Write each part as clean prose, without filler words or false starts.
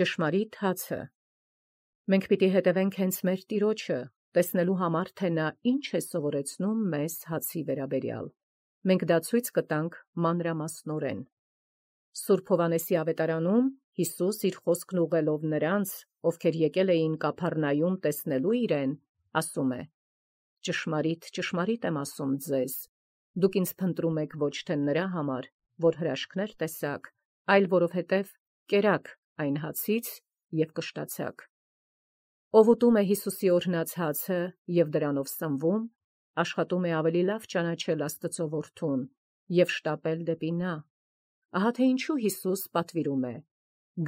Ճշմարիտ հացը։ Մենք պիտի հետևենք հենց մեր Տիրոջը, տեսնելու համար, թե նա ինչ է սովորեցնում մեզ հացի վերաբերյալ։ Մենք դա ցույց կտանք մանրամասնորեն։ Սուրբ Հովհաննեսի ավետարանում Յիսուս իր խոսքն ուղղելով նրանց, ովքեր եկել էին Կափառնայում տեսնելու իրեն, ասում է. «Ճշմարիտ, ճշմարիտ եմ ասում ձեզ, դուք ինձ փնտրում եք ոչ թե նրա համար, որ հրաշքներ տեսաք, այլ որովհետև կերաք այն հացից և կշտացաք։ Ով ուտում է Յիսուսի օրհնած հացը և դրանով սնվում, աշխատում է ավելի լավ ճանաչել Աստծո որդուն և շտապել դեպի նա։ Ահա թե ինչու Յիսուս պատվիրում է.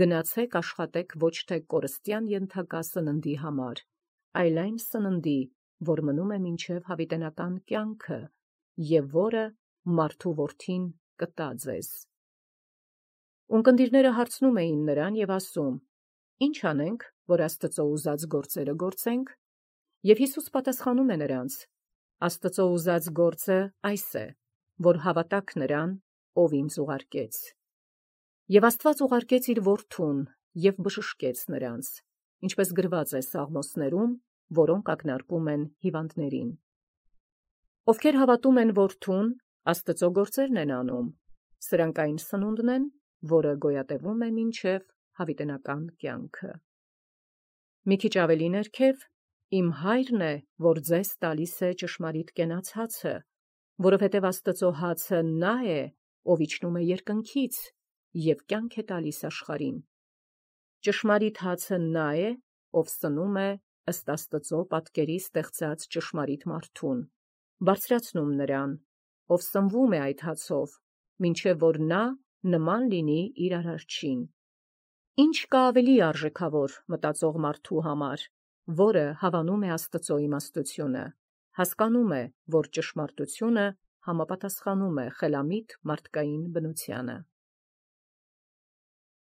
գնացեք աշխատեք ոչ թե կորստյան ենթակա սննդի համար, այլ այն սննդի, որ մնում է մինչև հավիտենական կյանքը, և որը մարդու որդին կտա ձեզ»։ Ունկնդիրները հարցնում էին նրան և ասում. «Ի՞նչ անենք, որ Աստծո ուզած գործերը գործենք»։ Եվ Յիսուս պատասխանում է նրանց. «Աստծո ուզած գործը այս է, որ հավատաք նրան, ով ինձ ուղարկեց։ Եվ Աստված ուղարկեց իր որդուն և բժշկեց նրանց, ինչպես գրված է Սաղմոսներում, որոնք ակնարկում են հիվանդներին։ Ովքեր հավատում են որդուն, Աստծո գործերն են անում, սրանք այն սնունդն են, որը գոյատևում է մինչև հավիտենական կյանքը։ Մի քիչ ավելի ներքև, իմ հայրն է, որ ձեզ տալիս է ճշմարիտ կենաց հացը, որովհետև Աստծո հացը նա է, ով իջնում է երկնքից և կյանք է տալիս աշխարհին։ Ճշմարիտ հացը նա է, ով սնում է ըստ Աստծո պատկերի ստեղծած ճշմարիտ մարդուն, բարձրացնում նրան, ով սնվում է այդ հացով, մինչև որ նա նման լինի իր Արարչին։ Ինչ կա ավելի արժեքավոր մտածող մարդու համար, որը հավանում է Աստծո իմաստությունը, հասկանում է, որ ճշմարտությունը համապատասխանում է խելամիտ մարդկային բնությանը։